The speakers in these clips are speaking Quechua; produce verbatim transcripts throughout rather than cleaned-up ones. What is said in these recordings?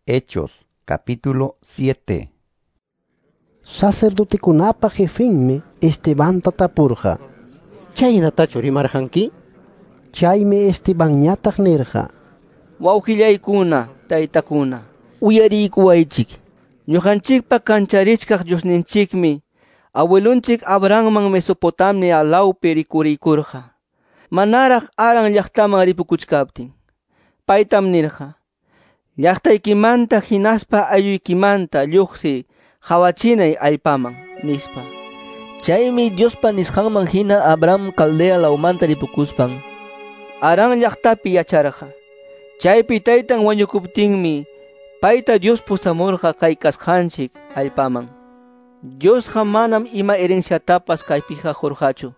Hechos capítulo siete. Sacerdotekunapa jefenmi Estebanta tapurqa. Chaynatachu rimarqanki? Chaymi Estebanñataq nirqa. Wawqillaykuna, taytakuna, uyariykuwaychik. Ñuqanchikpa kancharichkaq Diosninchikmi abuelunchik Abrahamman Mesopotamia lawpi rikuriykurqa. Manaraq Haran llaqtaman ripukuchkaptin. Paytam nirqa: Llaqtaykimanta hinaspa aylluykimanta lluqsi qhawachinay allpaman, nispa. Chaymi Diospa nisqanman hina Abraham Caldea lawmanta ripukuspan Haran llaqtapi yacharqa. Chaypi taytan wañukuptinmi payta Dios pusamurqa kay kasqanchik allpaman. Diosqa manam ima herenciatapas kaypiqa qurqachu.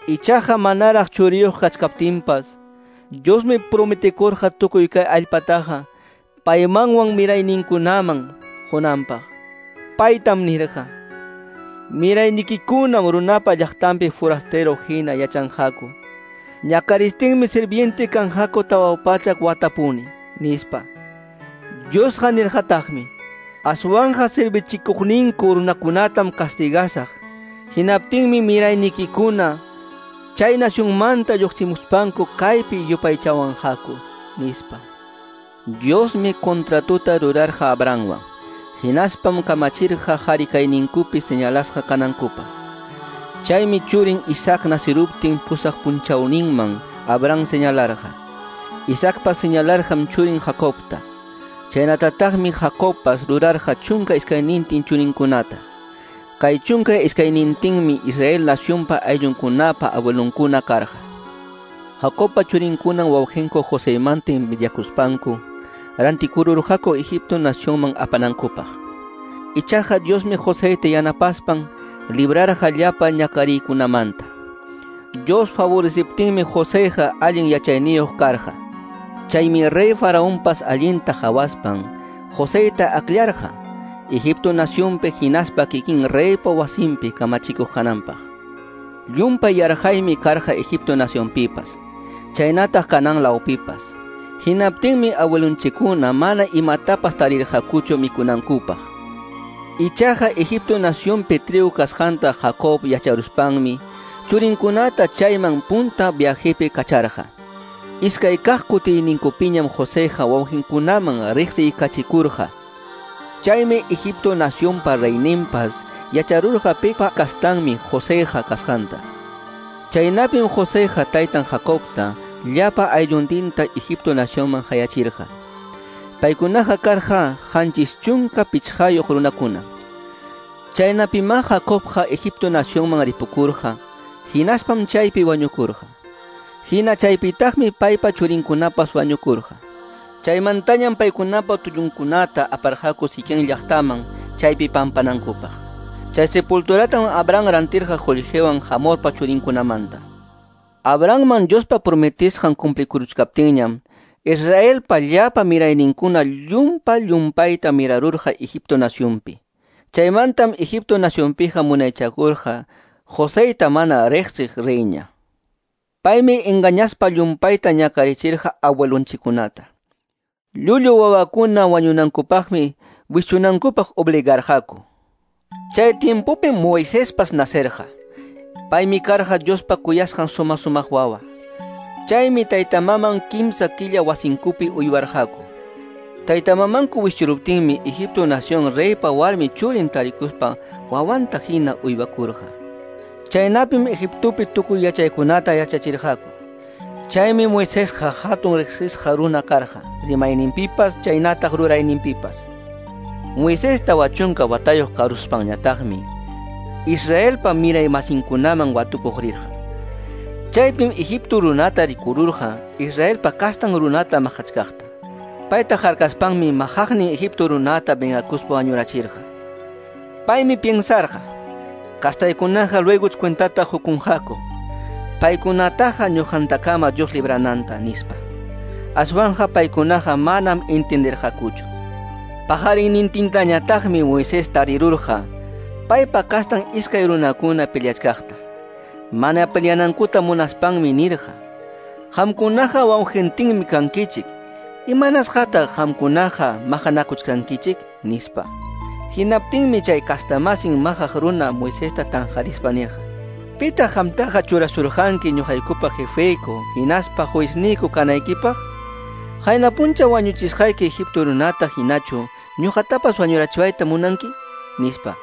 Ichaqa manaraq churiyuq kachkaptinpas Diosmi prometikurqa tukuy kay allpataqa paymanwan mirayninkunaman qunanpaq. Paytam nirqa: Miraynikikunam runapa llaqtanpi forastero hina yachanqaku. Ñakaristinmi sirviente kanqaku tawa pachak watapuni, nispa. Diosqa nirqataqmi: Aswanqa servichikuqninku runakunatam castigasaq. Hinaptinmi miraynikikuna chay nacionmanta lluqsimuspanku kaypi yupaychawanqaku, nispa. Diosmi contratuta rurarqa Abrahamwan. Hinaspam kamachirqa qhari kayninkupi señalasqa kanankupaq. Chaymi churin Isaac nasiruptin pusaq punchawninman Abraham señalarqa. Isaacpas señalarqam churin Jacobta. Chaynatataqmi Jacobpas rurarqa chunka iskaynintin churinkunata. Kay chunka iskaynintinmi Israel nacionpa ayllunkunapa abuelonkuna karqa. Jacobpa churinkunan wawqinku Joseymanta envidiakuspanku rantikururqaku Egipto nacionman apanankupaq. Ichaqa Diosmi Joseyta yanapaspan librarqa llapa ñakariykunamanta. Dios favoreciptinmi Joseyqa allin yachayniyuq karqa. Chaymi rey Faraonpas allinta qhawaspan Joseyta akllarqa Egipto nacionpi hinaspa kikin reypa wasinpi kamachikuq kananpaq. Llumpay yarqaymi karqa Egipto nacionpipas, chaynataq Canaán lawpipas. Hinaptinmi abuelunchikkuna mana imatapas tarirqakuchu mikunankupaq. Ichaqa Egipto nacionpi trigo kasqanta Jacob yacharuspanmi churinkunata chayman punta viajepi kacharqa. Iskay kaq kutiyninkupiñam Joseyqa wawqinkunaman riqsiykachikurqa. Chaymi Egipto nacionpa reyninpas yacharurqa pipa kastanmi Joseyqa kasqanta. Chaynapim Joseyqa taytan Jacobta llapa aylluntinta Egipto nacionman hayachirqa. Paykunaqa karqa qanchis chunka pichqayuq runakuna. Chaynapimá Jacobqa Egipto nacionman ripukurqa, hinaspam chaypi wañukurqa. Hina chaypitaqmi paypa churinkunapas wañukurqa. Chaymantañam paykunapa tullunkunata aparqaku Siquem llaqtaman chaypi pampanankupaq. Chay sepulturatam Abraham rantirqa qullqiwan Hamorpa churinkunamanta. Abrahamman Diospa prometisqan cumplikuruchkaptinñam Israelpa llapa mirayninkuna llumpa llumpayta mirarurqa Egipto nacionpi. Chaymantam Egipto nacionpiqa munaychakurqa Joseyta mana riqsiq reyña. Paymi engañaspa llumpayta ñakarichirqa abuelunchikkunata. Llullu wawakuna wañunankupaqmi wischunankupaq obligarqaku. Chay tiempopim Moisespas nacerqa. Paymi karqa Diospa kuyasqan suma sumaq wawa. Chaymi taytamaman kimsa killa wasinkupi uywarqaku. Taytamamanku wischuruptinmi Egipto nación reypa warmi churin tarikuspa wawanta hina uywakurqa. Chaynapim Egiptopi tukuy yachaykunata yachachirqaku. Chaymi Moisesqa hatun riqsisqa runa karqa, rimayninpipas chaynataq rurayninpipas. Moisés tawa chunka watayuq karuspanñataqmi Israelpa miray masinkunaman watukuq rirqa. Chaypim Egipto runata rikururqa Israelpa kastan runata maqachkaqta. Payta harkaspanmi maqaqnin Egipto runata vengakuspa wañurachirqa. Paymi piensarqa: kastaykunaqa luego cuentata hukunqaku. Paykunataqa ñuqantakama Dios librananta, nispa. Aswanqa paykunaqa manam entenderqakuchu. Paqarinnintintañataqmi Moisés tarirurqa paypa kastan iskay runakuna peleachkaqta. Mana peleanankuta munaspanmi nirqa: Qamkunaqa wawqintinmi kankichik. "Imanasqataq qamkunaqa maqanakuchkankichik?" nispa. Hinaptinmi chay kastamasin maqaq runa Moisesta tanqarispa nirqa: "Pitaq qamtaqa churasurqanki ñuqaykupa jefeyku hinaspa juezniyku kanaykipaq? Qayna puncha wañuchisqayki Egipto runata hinachu ñuqatapas wañurachiwayta munanki?" nispa.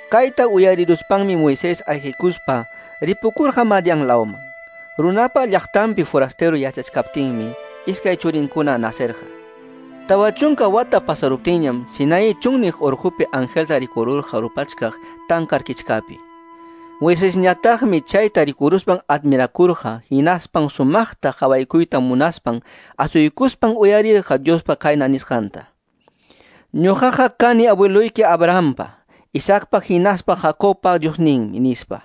Kayta uyariruspanmi Moisés ayqikuspa ripukurqa Madian lawman. Runapa llaqtanpi forastero yachachkaptinmi iskay churinkuna nacerqa. Tawa chunka wata pasaruptinñam Sinaí chunniq urqupi angelta rikururqa rupachkaq tankar kichkapi. Moisesñataqmi chayta rikuruspan admirakurqa, hinaspan sumaqta qawaykuyta munaspan asuykuspan uyarirqa Diospa kayna nisqanta: "Ñuqaqa kani abueloyki Abrahampa, Isaacpa hinaspa Jacobpa Diosninmi", nispa.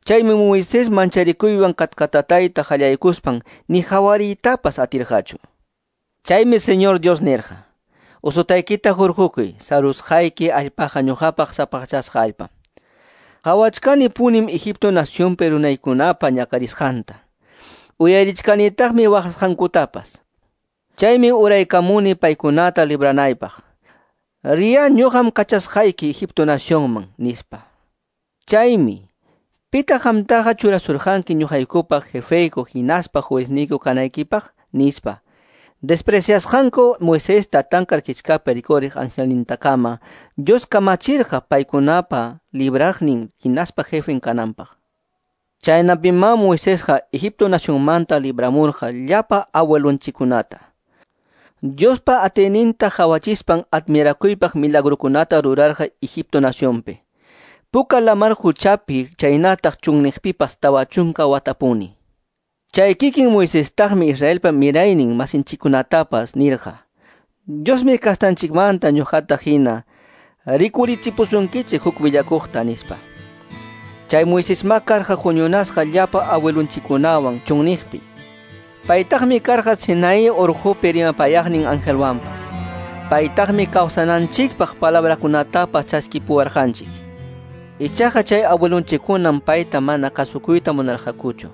Chaymi Moisés mancharikuywan katkatatayta qallaykuspan ni hawariytapas atirqachu. Chaymi Señor Dios nirqa: "Usutaykita hurqukuy, sarusqayki allpaqa ñuqapaq sapaqchasqa allpam. Qawachkani punim Egipto nacionpi runaykunapa ñakarisqanta. Uyarichkanitaqmi waqasqankutapas. Chaymi uraykamuni paykunata libranaypaq. Riya ñuqam kachasqayki Egipto nacionman", nispa. Chaymi, "Pitaq qamtaqa churasurqanki ñuqaykupaq jefeyku hinaspa juezniyku kanaykipaq?" nispa. Despreciasqanku Moisesta tankar kichkapi rikuriq angelnintakama Dios kamachirqa paykunapa libraqnin hinaspa jefen kananpaq. Chaynapimá Moisesqa Egipto nacionmanta libramurqa llapa abuelonchikkunata. Diospa atiyninta qawachispan admirakuypaq milagrukunata rurarqa Egipto nacionpi. Puka lamar quchapi chaynataq chunniqpipas tawa chunka watapuni. Chay kikin Moisestaqmi Israelpa miraynin masinchikkunatapas nirqa: "Diosmi kastanchikmanta ñuqata hina rikurichipusunkichik huk willakuqta", nispa. Chay Moisesma karqa huñunasqa llapa abuelonchikkunawan chunniqpi. Paytaqmi karqa Sinaí urqupi rimapayaqnin angelwanpas. Paytaqmi kawsananchikpaq palabrakunatapas chaskipuwarqanchik. Ichaqa chay abuelonchikkunam payta mana kasukuyta munarqakuchu.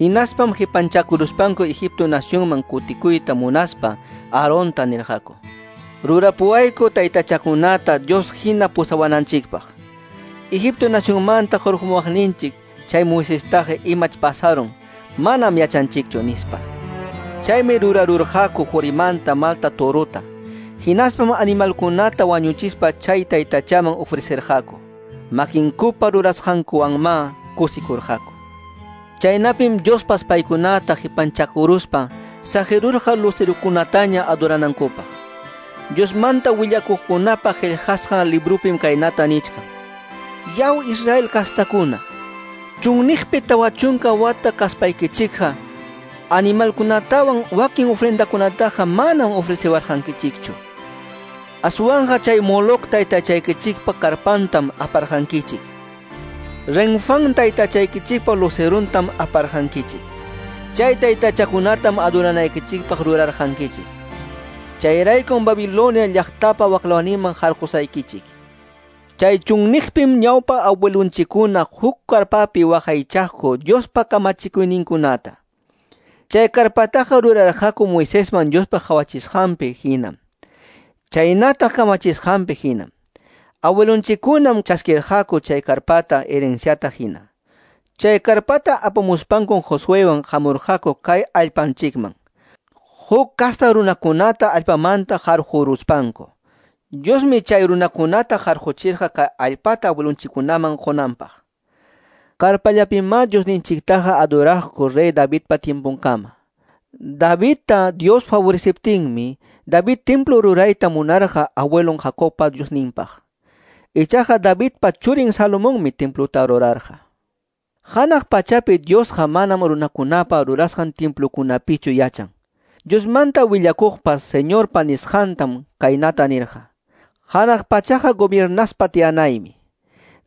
Hinaspam qipanchakuruspanku Egipto nacionman kutikuyta munaspa Aaronta nirqaku: "Rurapuwayku taytachakunata Dios hina pusawananchikpaq. Egipto nacionmanta hurqumuwaqninchik chay Moisestaqa imach pasarun, manam yachanchikchu", nispa. Chaymi rurarurqaku qurimanta malta torota. Hinaspam animalkunata wañuchispa chay taytachaman ofrecerqaku. Makinkupa rurasqankuwanmá kusikurqaku. Chaynapim Diospas paykunata qipanchakuruspa saqirurqa lucerukunataña adoranankupaq. Diosmanta willakuqkunapa qillqasqan librupim kaynata nichkan: "Yaw Israel kastakuna, chunniqpi tawa chunka wata kaspaykichikqa animalkunatawan wakin ofrendakunataqa manam ofrecewarqankichikchu. Aswanqa chay Moloc taytachaykichikpa karpantam aparqankichik. Renfán taytachaykichikpa luceruntam aparqankichik. Chay taytachakunatam adoranaykichikpaq rurarqankichik. Chayraykum Babilonia llaqtapa waqlawninman harqusaykichik. Chay chunniqpim ñawpa abuelunchikkuna huk karpapi waqaychaqku Diospa kamachikuyninkunata. Chay karpataqa rurarqaku Moisesman Diospa qawachisqanpi hinam, chaynataq kamachisqanpi hinam. Abuelunchikkunam chaskirqaku chay karpata herenciata hina. Chay karpata apamuspankum Josuewan hamurqaku kay allpanchikman. Huk kasta runakunata allpamanta harquruspanku. Diosmi chay runakunata harquchirqa kay allpata abuelunchikkunaman qunanpaq. Karpallapimá Diosninchiktaqa adoraqku rey Davidpa tiemponkama. Davidta Dios favoreciptinmi, David templo rurayta munarqa abuelon Jacobpa Diosninpaq. Ichaqa Davidpa churin Salomonmi templuta rurarqa. Hanaq pachapi Diosqa manam runakunapa rurasqan templukunapichu yachan. Diosmanta willakuqpas Señorpa nisqantam kaynata nirqa: Hanaq pachaqa gobiernaspa tiyanaymi.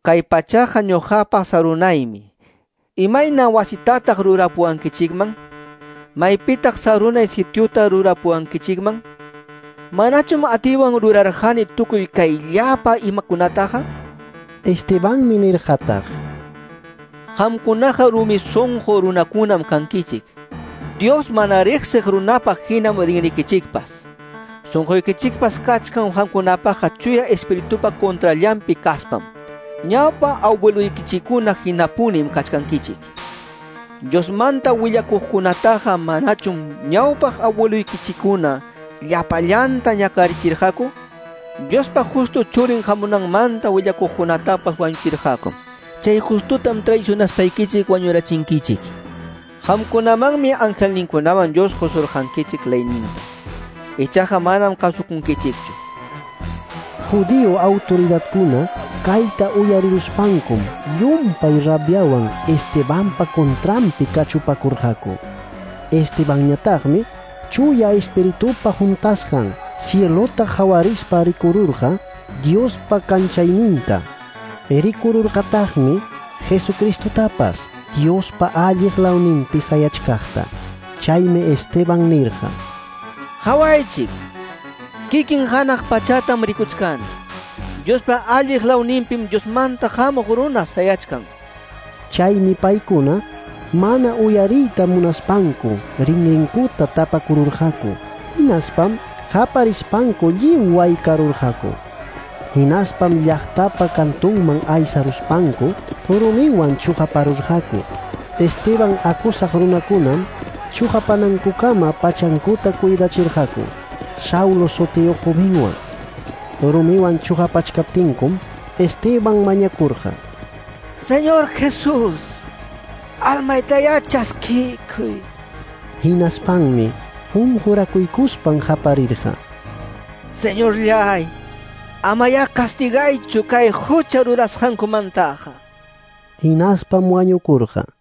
Kay pachaqa ñuqapa sarunaymi. Imayna wasitataq rurapuwankichikman? Maypitaq sarunay sitiuta rurapuwankichikman? Manachum atiwan rurarqani tukuy kay llapa imakunataqa? Estebanmi nirqataq: Qamkunaqa rumi sunqu runakunam kankichik. Dios mana riqsiq runapaq hinam rinrikichikpas. Sunquykichikpas kachkan qamkunapaqqa Chuya Espiritupa contrallanpi kaspam. Ñawpa abueluykichikkuna hinapunim kachkankichik. Diosmanta willakuqkunataqa manachum ñawpaq abueluykichikkuna llapallanta ñakarichirqaku? Diospa justo churin hamunanmanta willakuqkunatapas wañuchirqaku. Chay justutam traicionaspaykichik wañurachinkichik. Qamkunamanmi angelninkunawan Dios qusurqankichik leyninta. Ichaqa manam kasukunkichikchu. Judío autoridadkuna kayta uyariruspankum llumpay rabiawan Estebanpa contranpi kachupakurqaku. Estebanñataqmi Chuya Espiritupa juntasqan cielota qawarispa rikururqa Diospa kanchayninta. Rikururqataqmi Jesucristotapas Diospa alliq lawninpi sayachkaqta. Chaymi Esteban nirqa: Qawaychik, kikin hanaq pachatam rikuchkani. Diospa alliq lawninpim Diosmanta hamuq runa sayachkan. Chaymi paykuna mana uyariyta munaspanku rinrinkuta tapakururqaku. Hinaspam qaparispanku lliw waykarurqaku. Hinaspam llaqtapa kantunman aysaruspanku rumiwan chuqaparurqaku. Esteban acusaq runakunam chuqapanankukama pachankuta cuidachirqaku Saulo sutiyuq jovenwan. Rumiwan chuqapachkaptinkum Esteban mañakurqa: Señor Jesús, almaytayá chaskikuy. Hinaspanmi qunqurakuykuspan qaparirqa: Señorllay, amayá castigaychu kay hucha rurasqankumantaqa. Hinaspam wañukurqa.